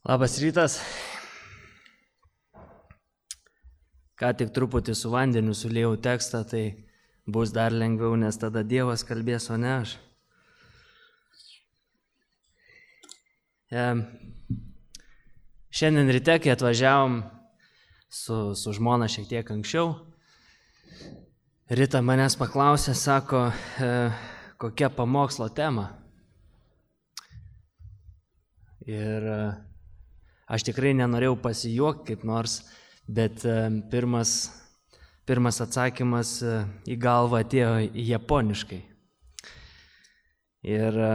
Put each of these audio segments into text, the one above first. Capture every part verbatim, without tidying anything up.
Labas rytas. Ką tik truputį su vandeniu sulėjau tekstą, tai bus dar lengviau, nes tada Dievas kalbės, o ne aš. E, šiandien ryte, kai atvažiavom su, su žmona šiek tiek anksčiau, Rita manęs paklausė, sako, e, kokia pamokslo tema. Ir e, aš tikrai nenorėjau pasijuokti kaip nors, bet e, pirmas, pirmas atsakymas e, į galvą atėjo japoniškai. Ir e,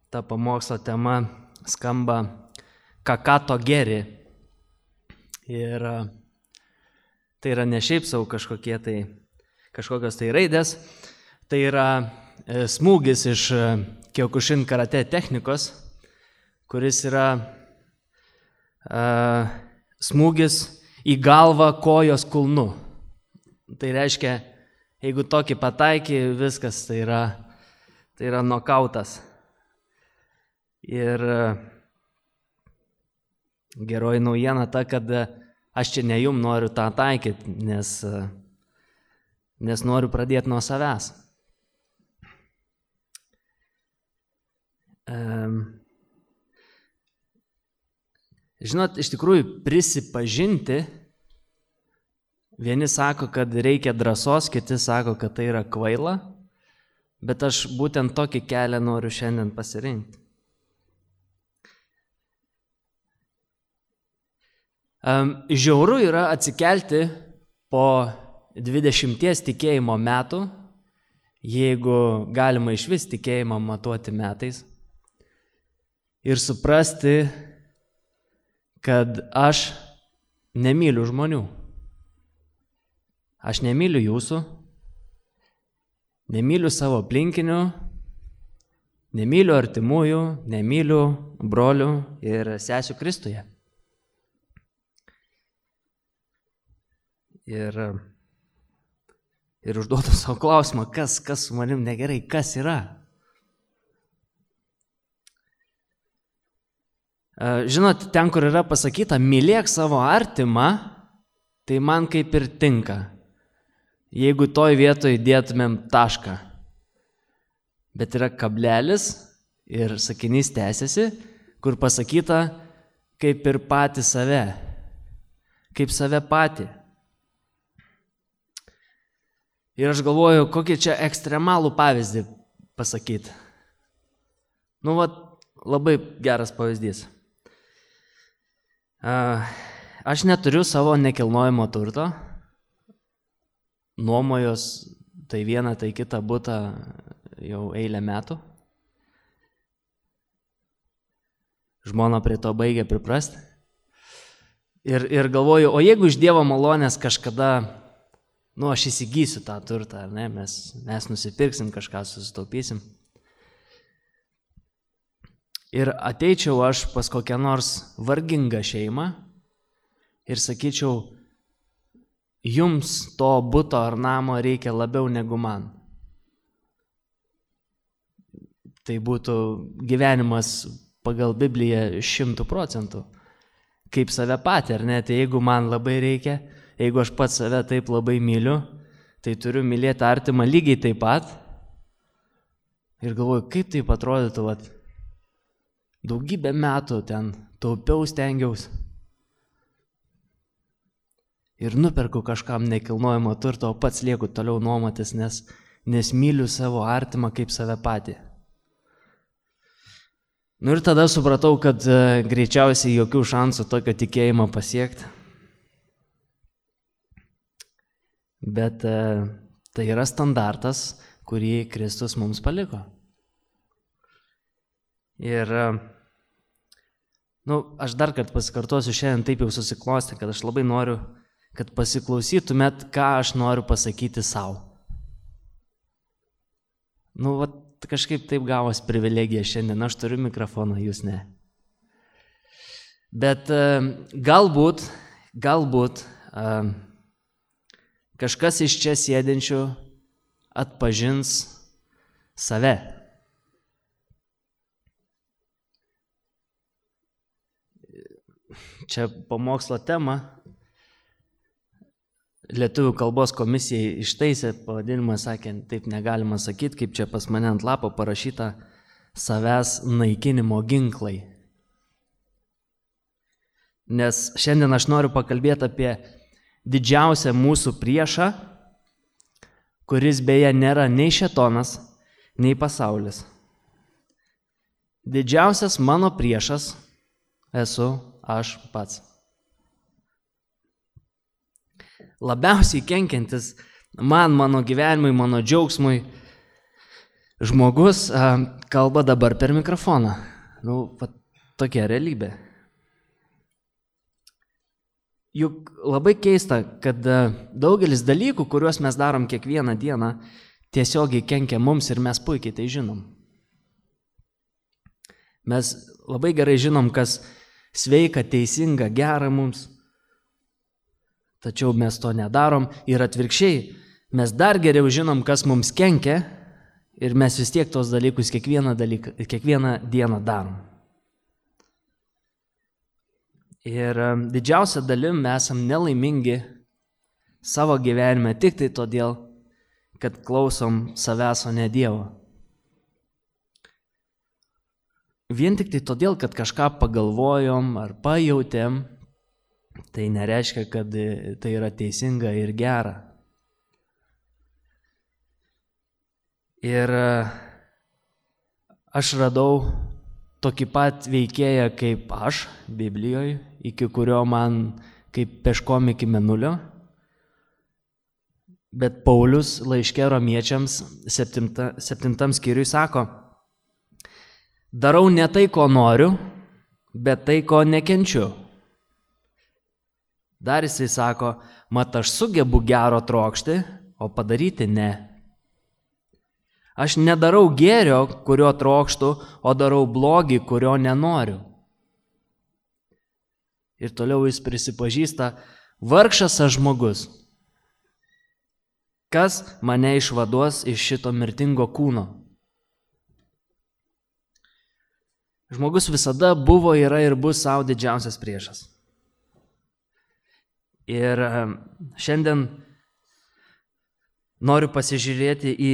ta pamokslo tema skamba kakato geri. Ir e, tai yra ne šiaip savo kažkokie tai, kažkokios tai raidės, tai yra e, smūgis iš e, Kyokushin karate technikos, kuris yra uh, smūgis į galvą kojos kulnu. Tai reiškia, jeigu tokį pataiky, viskas tai yra, tai yra nokautas. Ir uh, geroji naujiena ta, kad uh, aš čia ne jum noriu tą taikyti, nes, uh, nes noriu pradėti nuo savęs. Um, Žinot, iš tikrųjų prisipažinti, vieni sako, kad reikia drąsos, kiti sako, kad tai yra kvaila, bet aš būtent tokį kelią noriu šiandien pasirinkti. Žiauru yra atsikelti po dvidešimties tikėjimo metų, jeigu galima išvis tikėjimą matuoti metais, ir suprasti, kad aš nemyliu žmonių. Aš nemyliu jūsų, nemyliu savo aplinkinių, nemyliu artimųjų, nemyliu brolių ir sesių Kristuje. Ir, ir užduodu savo klausimą, kas, kas su manim negerai, kas yra. Žinot, ten, kur yra pasakyta, mylėk savo artimą, tai man kaip ir tinka, jeigu toj vietoj dėtumėm tašką. Bet yra kablelis ir sakinys tęsiasi, kur pasakyta, kaip ir patį save, kaip save patį. Ir aš galvoju, kokį čia ekstremalų pavyzdį pasakyti. Nu, vat, labai geras pavyzdys. Aš neturiu savo nekilnojamo turto, nuomojos tai vieną, tai kitą butą jau eilę metų. Žmona prie to baigia priprasti. Ir, ir galvoju, o jeigu iš Dievo malonės kažkada, nu, aš įsigysiu tą turtą, ar ne, mes, mes nusipirksim kažką, susitaupysim. Ir ateičiau aš pas kokią nors vargingą šeimą ir sakyčiau, jums to buto ar namo reikia labiau negu man. Tai būtų gyvenimas pagal Bibliją šimtų procentų. Kaip save patį, ar ne? Tai jeigu man labai reikia, jeigu aš pats save taip labai myliu, tai turiu mylėti artimą lygiai taip pat. Ir galvoju, kaip taip atrodytų, vat, daugybę metų ten taupiau stengiaus ir nuperku kažkam nekilnojamo turto, o pats lieku toliau nuomotis, nes, nes myliu savo artimą kaip save patį. Nu ir tada supratau, kad e, greičiausiai jokių šansų tokio tikėjimo pasiekti. Bet e, tai yra standartas, kurį Kristus mums paliko. Ir, nu, aš dar kartą pasikartosiu, šiandien taip jau susiklosti, kad aš labai noriu, kad pasiklausytumėt, ką aš noriu pasakyti savo. Nu, vat, kažkaip taip gavos privilegija šiandien, aš turiu mikrofoną, jūs ne. Bet galbūt, galbūt kažkas iš čia sėdinčių atpažins save. čia pamokslo tema. Lietuvių kalbos komisijai ištaisė pavadinimą, sakė, taip negalima sakyti, kaip čia pas mane ant lapo parašyta savęs naikinimo ginklai. Nes šiandien aš noriu pakalbėti apie didžiausią mūsų priešą, kuris beje nėra nei šėtonas, nei pasaulis. Didžiausias mano priešas esu aš pats. Labiausiai kenkiantis man, mano gyvenimui, mano džiaugsmui žmogus a, kalba dabar per mikrofoną. Nu, va, tokia realybė. Juk labai keista, kad daugelis dalykų, kuriuos mes darom kiekvieną dieną, tiesiogiai kenkia mums ir mes puikiai tai žinom. Mes labai gerai žinom, kas sveika, teisinga, gera mums, tačiau mes to nedarom ir atvirkščiai, mes dar geriau žinom, kas mums kenkia ir mes vis tiek tos dalykus kiekvieną, dalyką, kiekvieną dieną darom. Ir didžiausia dalim mes esam nelaimingi savo gyvenime tik tai todėl, kad klausom savęs, o ne Dievo. Vien tik tai todėl, kad kažką pagalvojom ar pajautėm, tai nereiškia, kad tai yra teisinga ir gera. Ir aš radau tokį pat veikėją kaip aš Biblijoje, iki kurio man kaip peškom iki mėnulio. Bet Paulius laiške Romiečiams septinta, septintam skyriui sako, darau ne tai, ko noriu, bet tai, ko nekenčiu. Dar jisai sako, mat aš sugebu gero trokšti, o padaryti ne. Aš nedarau gėrio, kurio trokštu, o darau blogį, kurio nenoriu. Ir toliau jis prisipažįsta, vargšas aš žmogus. Kas mane išvaduos iš šito mirtingo kūno? Žmogus visada buvo, yra ir bus savo didžiausias priešas. Ir šiandien noriu pasižiūrėti į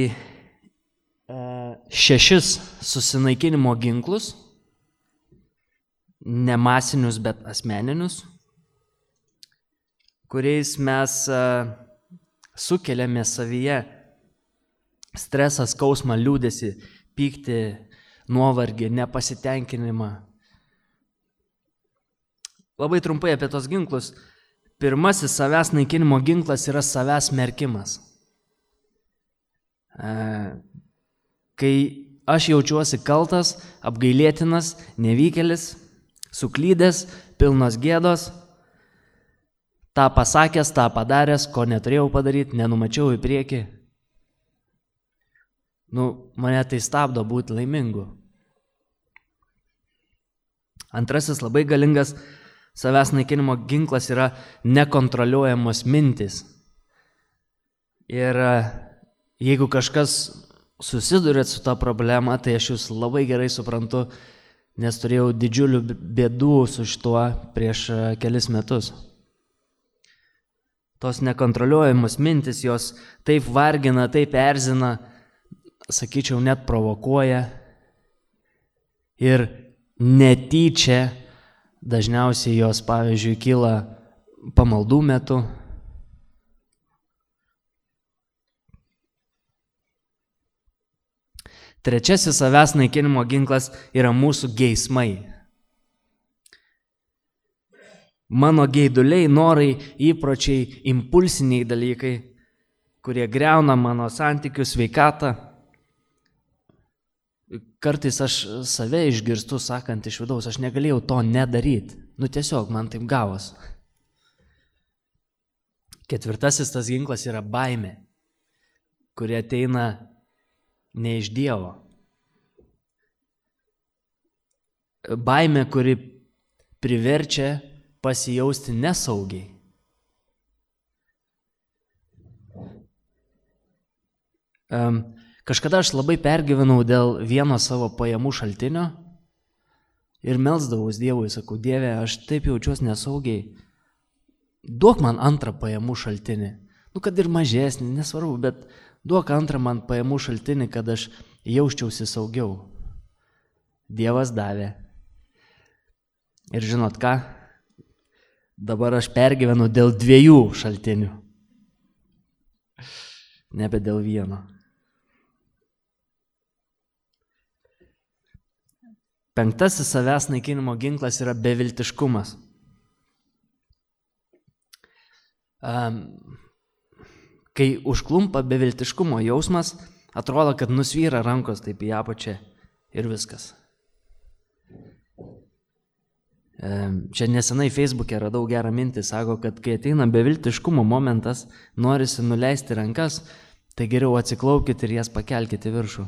šešis susinaikinimo ginklus, ne masinius, bet asmeninius, kuriais mes sukeliame savyje stresą, skausmą, liūdesį, pyktį, nuovargį, nepasitenkinimą. Labai trumpai apie tos ginklus. Pirmasis savęs naikinimo ginklas yra savęs smerkimas. Kai aš jaučiuosi kaltas, apgailėtinas, nevykėlis, suklydęs, pilnos gėdos, tą pasakęs, tą padaręs, ko neturėjau padaryti, nenumačiau į priekį. Nu, mane tai stabdo būti laimingu. Antrasis labai galingas savęs naikinimo ginklas yra nekontroliuojamos mintys. Ir jeigu kažkas susidurėt su tą problemą, tai aš jūs labai gerai suprantu, nes turėjau didžiulių bėdų su šituo prieš kelis metus. Tos nekontroliuojamos mintis, jos taip vargina, taip erzina, sakyčiau, net provokuoja. Ir netyčia dažniausiai jos, pavyzdžiui, kyla pamaldų metu. Trečiasis savęs naikinimo ginklas yra mūsų geismai. Mano geiduliai, norai, įpročiai, impulsiniai dalykai, kurie griauna mano santykių sveikatą. Kartais aš save išgirstu, sakant iš vidaus, aš negalėjau to nedaryti. Nu tiesiog, man taip gavos. Ketvirtasis tas ginklas yra baimė, kuri ateina ne iš Dievo. Baimė, kuri priverčia pasijausti nesaugiai. Kažkada aš labai pergyvenau dėl vieno savo pajamų šaltinio ir melsdavus Dievui, sakau, Dieve, aš taip jaučiuosi nesaugiai, duok man antrą pajamų šaltinį. Nu, kad ir mažesnį, nesvarbu, bet duok antrą man pajamų šaltinį, kad aš jausčiausi saugiau. Dievas davė. Ir žinot ką? Dabar aš pergyvenu dėl dviejų šaltinių. Nebe dėl vieno. Penktasis savęs naikinimo ginklas yra beviltiškumas. Um, kai užklumpa beviltiškumo jausmas, atrodo, kad nusvyra rankos taip į apačią ir viskas. Um, čia nesenai Facebook'e radau gerą mintį, sako, kad kai ateina beviltiškumo momentas, norisi nuleisti rankas, tai geriau atsiklaupkite ir jas pakelkite viršų.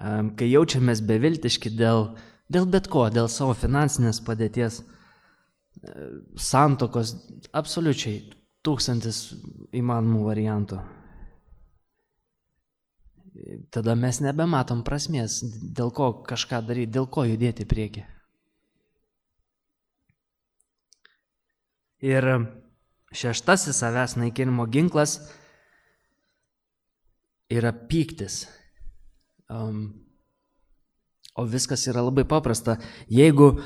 Um, kai jaučiamės beviltiški dėl Dėl bet ko, dėl savo finansinės padėties, santokos, absoliučiai tūkstantis įmanomų variantų. Tada mes nebematom prasmės, dėl ko kažką daryti, dėl ko judėti į priekį. Ir šeštasis savęs naikinimo ginklas yra pyktis. Um, O viskas yra labai paprasta. Jeigu,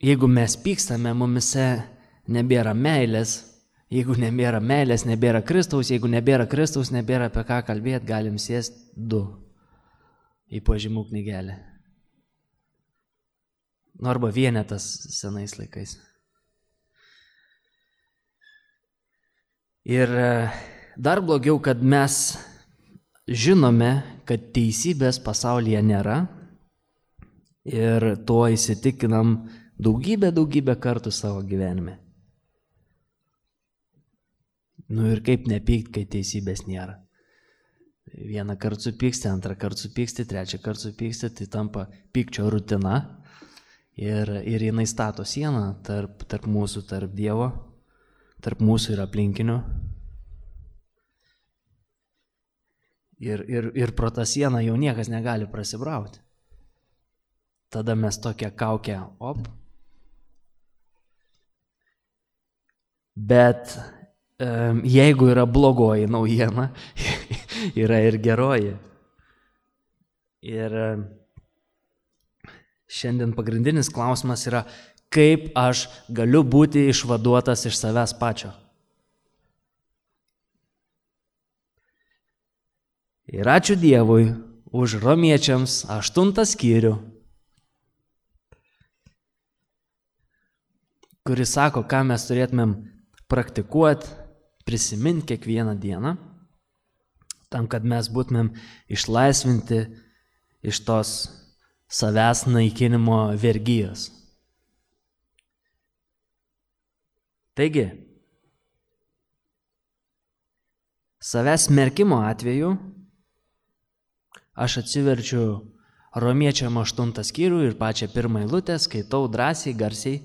jeigu mes pykstame, mumise nebėra meilės. Jeigu nebėra meilės, nebėra Kristaus. Jeigu nebėra Kristaus, nebėra apie ką kalbėti, galim sėsti du į pažymų knygelę. Nu, arba vienetas senais laikais. Ir dar blogiau, kad mes žinome, kad teisybės pasaulyje nėra. Ir tuo įsitikinam daugybę, daugybę kartų savo gyvenime. Nu ir kaip nepykti, kai teisybės nėra. Vieną kartą supyksti, antrą kartą supyksti, trečią kartą supyksti, tai tampa pykčio rutina. Ir, ir jinai stato sieną tarp, tarp mūsų, tarp Dievo, tarp mūsų ir aplinkinių. Ir, ir, ir pro tą sieną jau niekas negali prasibrauti. Tada mes tokią kaukę, op. Bet um, jeigu yra blogoji naujiena, yra ir geroji. Ir um, šiandien pagrindinis klausimas yra, kaip aš galiu būti išvaduotas iš savęs pačio. Ir ačiū Dievui už Romiečiams aštuntą skyrių, kuris sako, ką mes turėtumėm praktikuoti, prisiminti kiekvieną dieną, tam, kad mes būtumėm išlaisvinti iš tos savęs naikinimo vergijos. Taigi, savęs smerkimo atveju aš atsiverčiu Romiečiam aštuntą skyrių ir pačią pirmą eilutę, skaitau drąsiai, garsiai.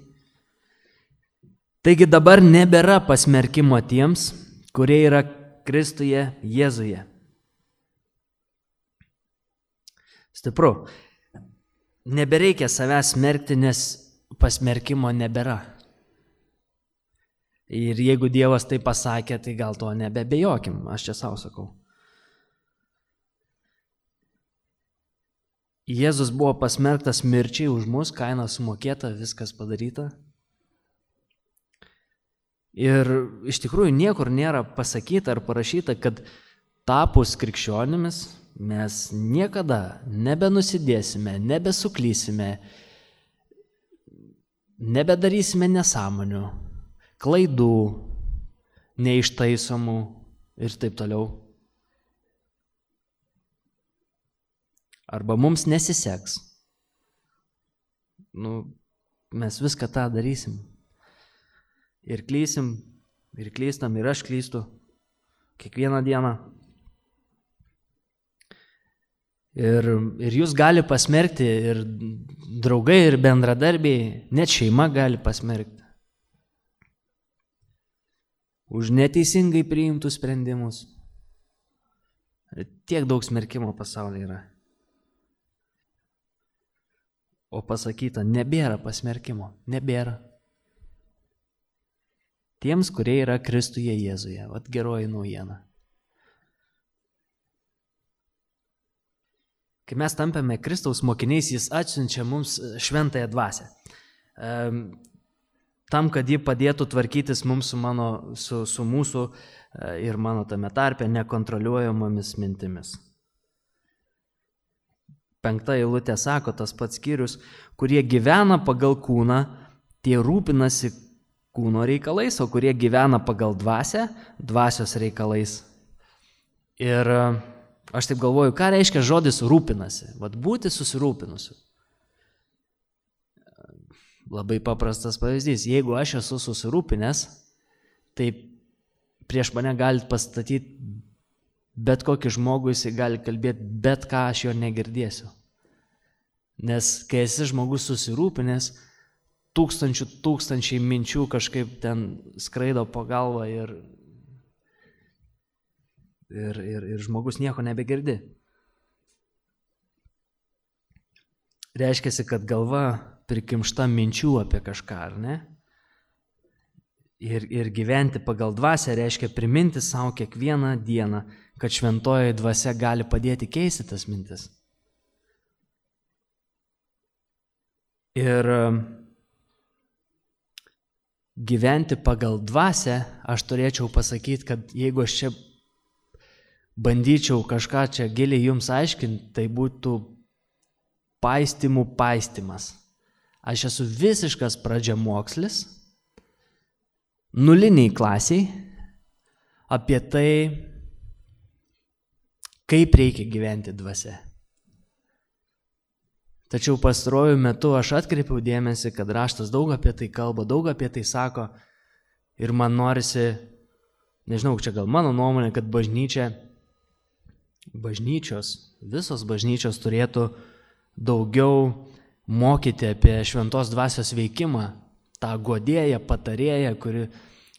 Taigi dabar nebėra pasmerkimo tiems, kurie yra Kristuje Jėzuje. Stipru. Nebereikia savęs smerkti, nes pasmerkimo nebėra. Ir jeigu Dievas tai pasakė, tai gal to nebebejokim, aš čia savo sakau. Jėzus buvo pasmerktas mirčiai už mus, kaina sumokėta, viskas padaryta. Ir iš tikrųjų niekur nėra pasakyta ar parašyta, kad tapus krikščionimis mes niekada nebenusidėsime, nebesuklysime, nebedarysime nesąmonių, klaidų, neištaisomų ir taip toliau. Arba mums nesiseks. Nu, mes viską tą darysim. Ir klysim, ir klystam, ir aš klystu kiekvieną dieną. Ir, ir jūs gali pasmerkti, ir draugai, ir bendradarbiai, net šeima gali pasmerkti. Už neteisingai priimtus sprendimus. Tiek daug smerkimo pasaulyje yra. o pasakyta, nebėra pasmerkimo, nebėra. Tiems, kurie yra Kristuje Jėzuje, vat geroji naujiena. Kai mes tampame Kristaus mokiniais, jis atsiunčia mums šventąją dvasią. Tam, kad ji padėtų tvarkytis mums su, mano, su, su mūsų ir mano tame tarpe nekontroliuojamomis mintimis. Penkta eilutė sako, tas pats skyrius, kurie gyvena pagal kūną, tie rūpinasi kūno reikalais, o kurie gyvena pagal dvasią, dvasios reikalais. Ir aš taip galvoju, ką reiškia žodis rūpinasi, vat būti susirūpinusiu. Labai paprastas pavyzdys, jeigu aš esu susirūpinęs, tai prieš mane galit pastatyti bet kokį žmogų, jisai gali kalbėti bet ką, aš jo negirdėsiu. Nes kai esi žmogus susirūpinęs, tūkstančių tūkstančiai minčių kažkaip ten skraido po galvą ir, ir, ir, ir žmogus nieko nebegirdi. Reiškiasi, kad galva prikimšta minčių apie kažką, ar ne? Ir, ir gyventi pagal dvasią reiškia priminti savo kiekvieną dieną, kad šventoji dvasia gali padėti keisti tas mintis. Ir gyventi pagal dvasią, aš turėčiau pasakyti, kad jeigu aš čia bandyčiau kažką čia giliai jums aiškinti, tai būtų paistymų paistymas. Aš esu visiškas pradžiamokslis, nuliniai klasiai, apie tai, kaip reikia gyventi dvasia. Tačiau pastaruoju metu aš atkreipiau dėmesį, kad raštas daug apie tai kalba, daug apie tai sako ir man norisi, nežinau, čia gal mano nuomonė, kad bažnyčia, bažnyčios, visos bažnyčios turėtų daugiau mokyti apie šventos dvasios veikimą, tą guodėją, patarėją, kuri,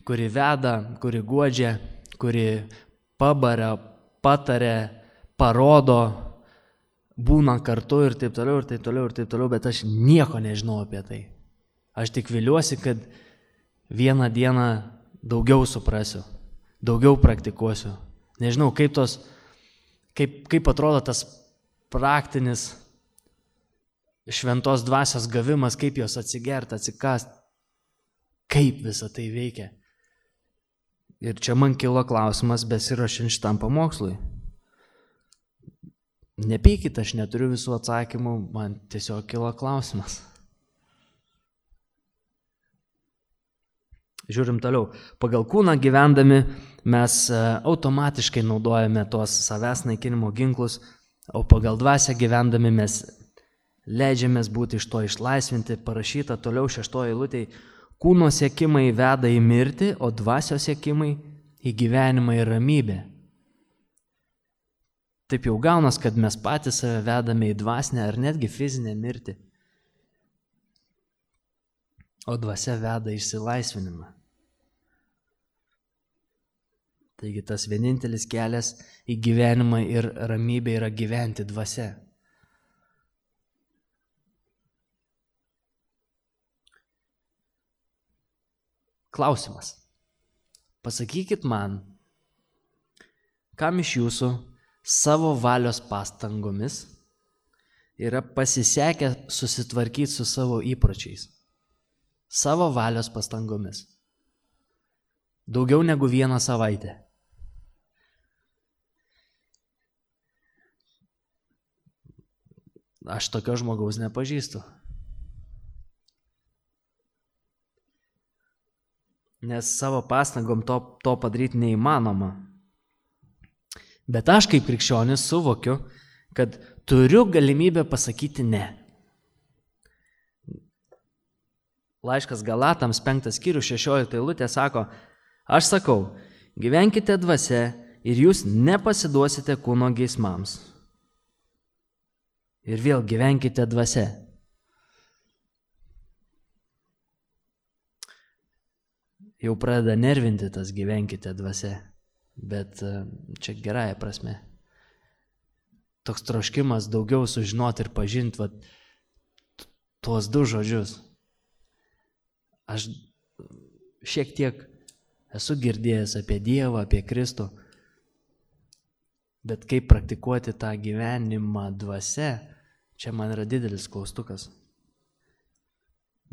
kuri veda, kuri guodžia, kuri pabaria, patarė, parodo, būna kartu ir taip toliau, ir taip toliau, ir taip toliau, bet aš nieko nežinau apie tai. Aš tik viliuosi, kad vieną dieną daugiau suprasiu, daugiau praktikuosiu. Nežinau, kaip, tos, kaip, kaip atrodo tas praktinis šventos dvasios gavimas, kaip jos atsigert, atsikast, kaip visa tai veikia. Ir čia man kilo klausimas besiruošiant šitam pamokslui. Nepykit, aš neturiu visų atsakymų, man tiesiog kilo klausimas. Žiūrim toliau. Pagal kūną gyvendami mes automatiškai naudojame tuos savęs naikinimo ginklus, o pagal dvasią gyvendami mes leidžiamės būti iš to išlaisvinti. Parašyta toliau šeštoje eilutėje, kūno siekimai veda į mirtį, o dvasios siekimai į gyvenimą ir ramybę. Taip jau gaunas, kad mes patys save vedame į dvasinę ar netgi fizinę mirtį, o dvasia veda išsilaisvinimą. Taigi tas vienintelis kelias į gyvenimą ir ramybę yra gyventi dvasia. Klausimas. Pasakykit man, kam iš jūsų savo valios pastangomis yra pasisekę susitvarkyti su savo įpročiais. Savo valios pastangomis. Daugiau negu vieną savaitę. Aš tokio žmogaus nepažįstu. Nes savo pastangom to, to padaryti neįmanoma. Bet aš kaip krikščionis suvokiu, kad turiu galimybę pasakyti ne. Laiškas Galatams penktas skyrius šešiolikta eilutė sako, aš sakau, gyvenkite dvasia ir jūs nepasiduosite kūno geismams. Ir vėl gyvenkite dvasia. Jau pradeda nervinti tas gyvenkite dvasia. Bet čia gerąja prasme. Toks troškimas daugiau sužinoti ir pažinti, vat, tuos du žodžius. Aš šiek tiek esu girdėjęs apie Dievą, apie Kristų, bet kaip praktikuoti tą gyvenimą dvasia, čia man yra didelis klaustukas.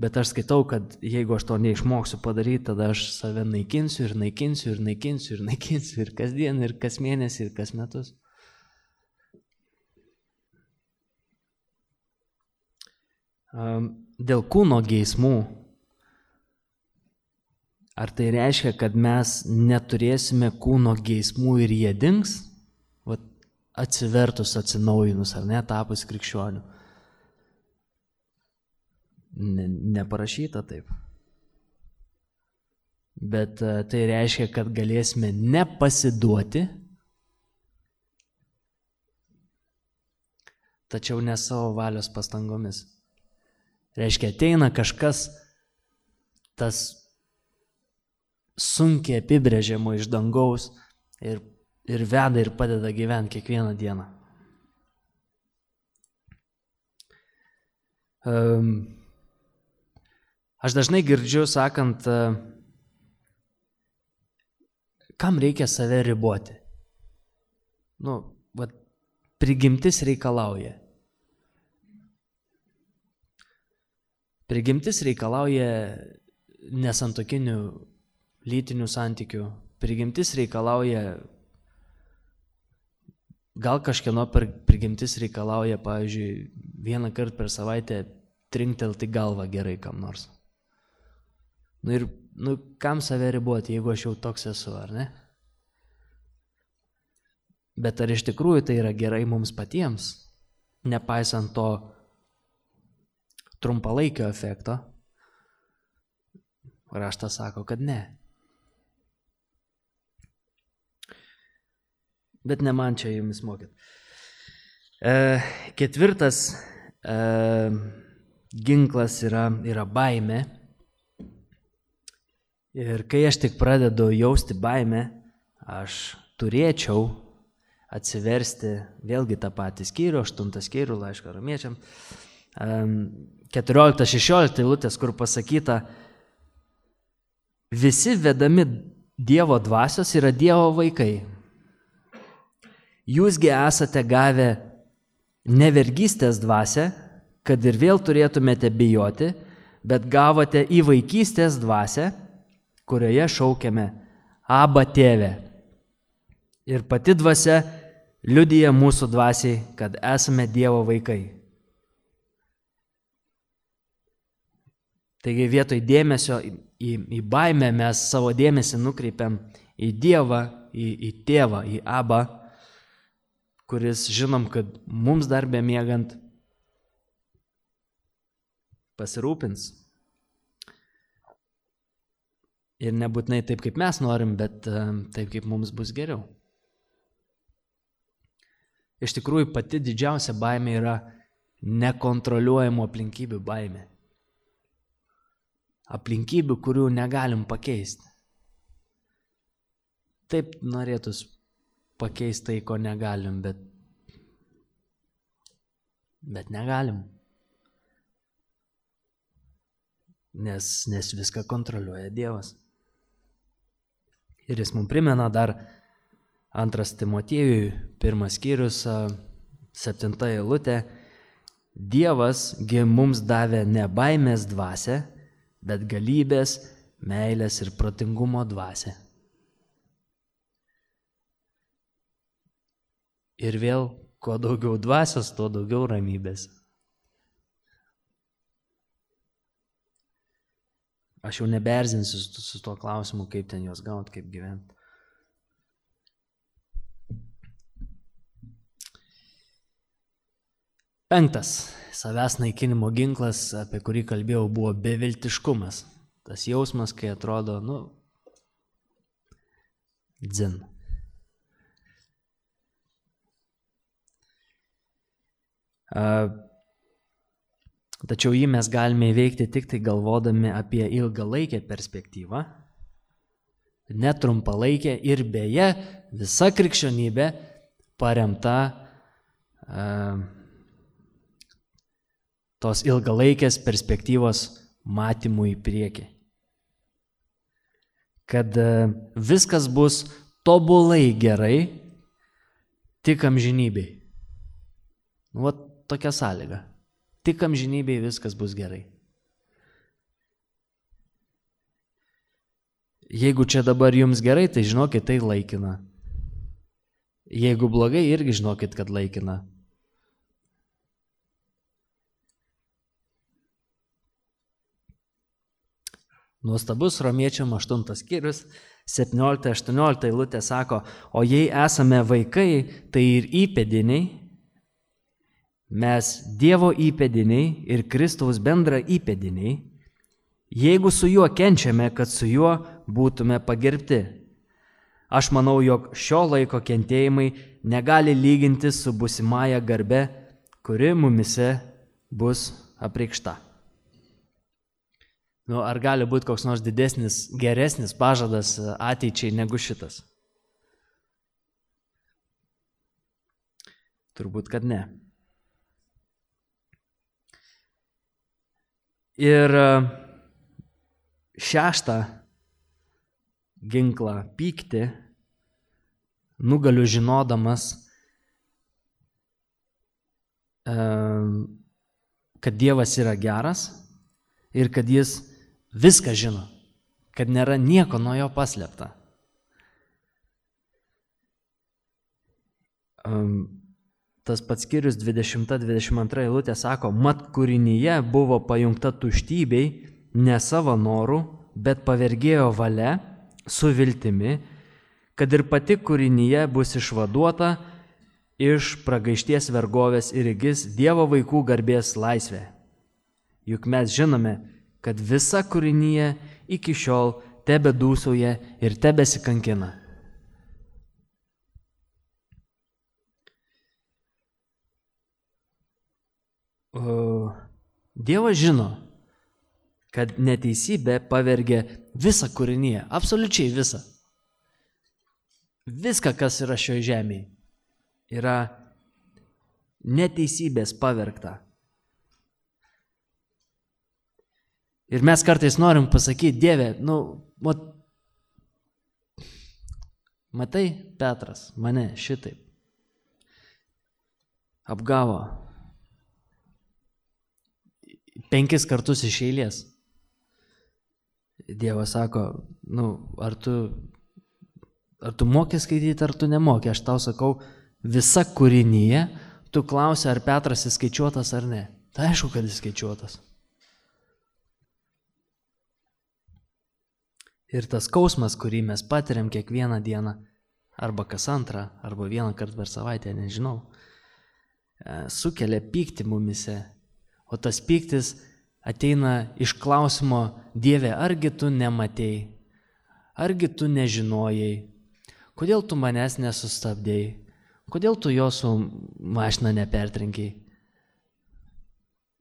Bet aš skaitau, kad jeigu aš to neišmoksiu padaryti, tada aš save naikinsiu ir naikinsiu ir naikinsiu ir naikinsiu ir kasdien, ir kas mėnesį, ir kas metus. Dėl kūno geismų, ar tai reiškia, kad mes neturėsime kūno geismų ir jie dings, vat, atsivertus, atsinaujinus, ar ne, tapus krikščioniu? Ne, neparašyta taip. Bet tai reiškia, kad galėsime nepasiduoti, tačiau ne savo valios pastangomis. Reiškia, ateina kažkas, tas sunkiai apibrėžiamo iš dangaus ir, ir veda ir padeda gyventi kiekvieną dieną. Um, aš dažnai girdžiu sakant, uh, kam reikia save riboti? Nu, vat, prigimtis reikalauja. Prigimtis reikalauja nesantokinių lytinių santykių. Prigimtis reikalauja, gal kažkieno prigimtis reikalauja, pavyzdžiui, vieną kartą per savaitę trinktelti galvą gerai kam nors. Nu ir nu, kam save riboti, jeigu aš jau toks esu, ar ne? Bet ar iš tikrųjų tai yra gerai mums patiems, nepaisant to trumpalaikio efekto? Raštas sako, kad ne. Bet ne man čia jumis mokyt. E, ketvirtas e, ginklas yra, yra baimė. Ir kai aš tik pradedu jausti baimę, aš turėčiau atsiversti vėlgi tą patį skyrių, aštuntą skyrių laišką romiečiam, keturiolikta šešiolikta eilutės, kur pasakyta, visi vedami Dievo dvasios yra Dievo vaikai. Jūsgi esate gavę nevergystės dvasią, kad ir vėl turėtumėte bijoti, bet gavote į vaikystės dvasią, kurioje šaukiame Aba tėve. Ir pati dvasia liudija mūsų dvasiai, kad esame Dievo vaikai. Taigi vietoj dėmesio į, į, į baimę mes savo dėmesį nukreipiam į Dievą, į, į tėvą, į Abą, kuris žinom, kad mums dar bemiegant pasirūpins. Ir nebūtinai taip, kaip mes norim, bet taip, kaip mums bus geriau. Iš tikrųjų, pati didžiausia baimė yra nekontroliuojamų aplinkybių baimė. Aplinkybių, kurių negalim pakeisti. Taip norėtus pakeisti tai, ko negalim, bet, bet negalim. Nes, nes viską kontroliuoja Dievas. Ir jis mums primena dar antras Timotiejui, pirmas skyrius, septinta eilutė. Dievas gi mums davė ne baimės dvasią, bet galybės, meilės ir protingumo dvasią. Ir vėl, kuo daugiau dvasios, tuo daugiau ramybės. Aš jau nebeerzinsiu su, su tuo klausimu, kaip ten juos gauti, kaip gyventi. Penktas savęs naikinimo ginklas, apie kurį kalbėjau, buvo beviltiškumas. Tas jausmas, kai atrodo, nu, dzin. Tačiau jį mes galime įveikti tik tai galvodami apie ilgalaikę perspektyvą, netrumpalaikę ir beje visa krikščionybė paremta uh, tos ilgalaikės perspektyvos matymų į priekį. Kad viskas bus tobulai gerai, tik amžinybei. Nu, va tokia sąlyga. Tik amžinybei viskas bus gerai. Jeigu čia dabar jums gerai, tai žinokit, tai laikina. Jeigu blogai, irgi žinokit, kad laikina. Nuostabus Romiečiam aštuntas skyrius, septyniolikta aštuoniolikta eilutė sako, o jei esame vaikai, tai ir įpėdiniai, mes Dievo įpėdiniai ir Kristaus bendra įpėdiniai, jeigu su juo kenčiame, kad su juo būtume pagerbti. Aš manau, jog šio laiko kentėjimai negali lyginti su būsimąja garbe, kuri mumise bus apreikšta. Nu, ar gali būti koks nors didesnis, geresnis pažadas ateičiai negu šitas? Turbūt, kad ne. Ir šeštą ginklą pyktį nugaliu žinodamas, kad Dievas yra geras ir kad jis viską žino, kad nėra nieko nuo jo paslėpta. Tas pats skyrius dvidešimta dvidešimt antra eilutė sako, mat kūrinyje buvo pajungta tuštybei, ne savo norų, bet pavergėjo valia su viltimi, kad ir pati kūrinyje bus išvaduota iš pragaišties vergovės ir įgis Dievo vaikų garbės laisvę. Juk mes žinome, kad visa kūrinyje iki šiol tebedūsauja ir tebesikankina. O Dievas žino, kad neteisybė pavergia visą kūrinyje, absoliučiai visą. Viską, kas yra šioje žemėje, yra neteisybės pavergta. Ir mes kartais norim pasakyti, Dieve, nu, mat, matai, Petras mane šitaip apgavo penkis kartus iš eilės. Dievas sako, nu, ar tu, ar tu moki skaityti, ar tu nemoki. Aš tau sakau, visa kūrinyje, tu klausi, ar Petras įskaičiuotas ar ne. Tai aišku, kad įskaičiuotas. Ir tas skausmas, kurį mes patiriam kiekvieną dieną, arba kas antrą, arba vieną kartą per savaitę, nežinau, sukelia pyktį mumise. O tas pyktis ateina iš klausimo, Dieve, argi tu nematėjai, argi tu nežinojai, kodėl tu manęs nesustabdėjai, kodėl tu jo su mašina nepertrenkiai.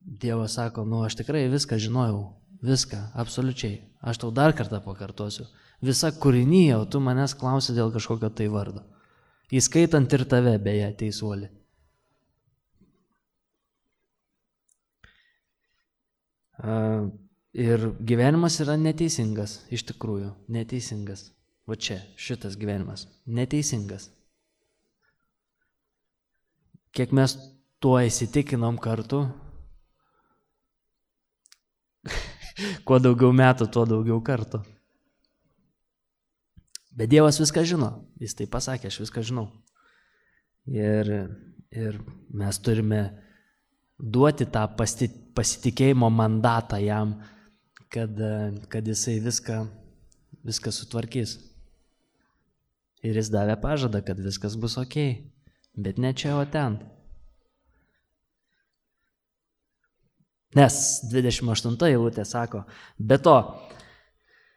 Dievas sako, nu aš tikrai viską žinojau, viską, absoliučiai. Aš tau dar kartą pakartosiu. Visa kūrinyje, o tu manęs klausi dėl kažkokio tai vardo. Įskaitant ir tave, beje, teisuoli. Ir gyvenimas yra neteisingas, iš tikrųjų, neteisingas. Va čia, šitas gyvenimas, neteisingas. Kiek mes tuo įsitikinom kartu, kuo daugiau metų, tuo daugiau kartų. Bet Dievas viską žino, jis tai pasakė, aš viską žinau. Ir, ir mes turime duoti tą pasitikėjimo mandatą jam, kad, kad jisai viską, viską sutvarkys. Ir jis davė pažadą, kad viskas bus okei, bet ne čia, o ten. Nes dvidešimt aštunta eilutė sako, be to,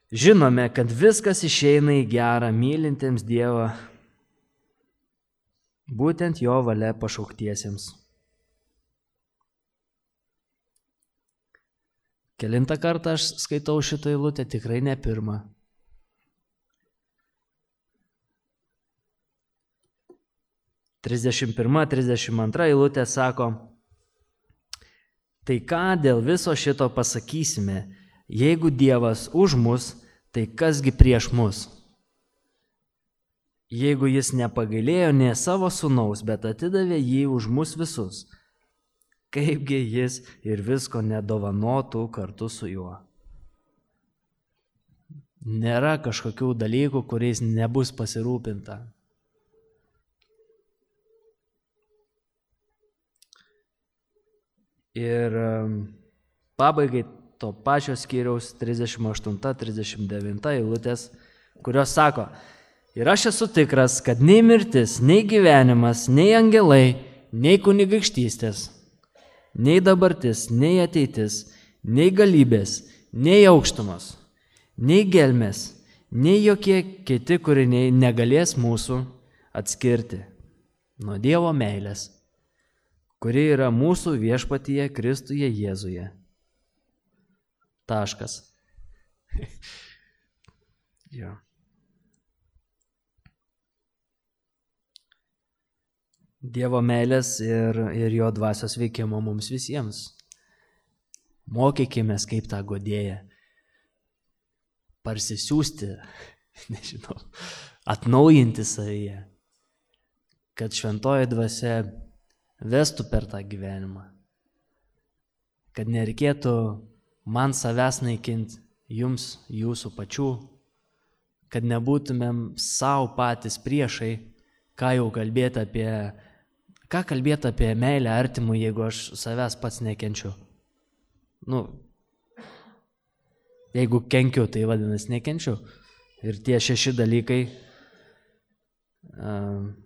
žinome, kad viskas išeina į gerą mylintiems Dievą, būtent jo valia pašauktiesiems. Kelintą kartą aš skaitau šitą eilutę, tikrai ne pirmą. trisdešimt pirma trisdešimt antra eilutė sako, Tai ką dėl viso šito pasakysime? Jeigu Dievas už mus, tai kasgi prieš mus? Jeigu jis nepagailėjo nė savo sūnaus, bet atidavė jį už mus visus, kaipgi jis ir visko nedovanotų kartu su juo? Nėra kažkokių dalykų, kuriais nebus pasirūpinta. Ir pabaigai to pačio skyriaus trisdešimt aštunta trisdešimt devinta eilutės, kurios sako: ir aš esu tikras, kad nei mirtis, nei gyvenimas, nei angelai, nei kunigaikštystės, nei dabartis, nei ateitis, nei galybės, nei aukštumos, nei gelmės, nei jokie kiti kūriniai negalės mūsų atskirti nuo Dievo meilės, kuri yra mūsų viešpatyje Kristuje Jėzuje. Taškas. Jo. Dievo meilės ir, ir jo dvasios veikimo mums visiems. Mokykimės, kaip tą godėją parsisiųsti, nežinau, atnaujinti savyje, kad šventoji dvasia vestų per tą gyvenimą, kad nereikėtų man savęs naikinti, jums, jūsų pačių, kad nebūtumėm savo patys priešai, ką jau kalbėti apie, ką kalbėti apie meilę artimui, jeigu aš savęs pats nekenčiu. Nu, jeigu kenkiu, tai vadinasi nekenčiu. Ir tie šeši dalykai uh,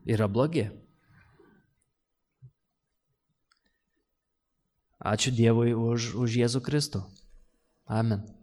yra blogi. Ačiū Dievui už, už Jėzų Kristų. Amen.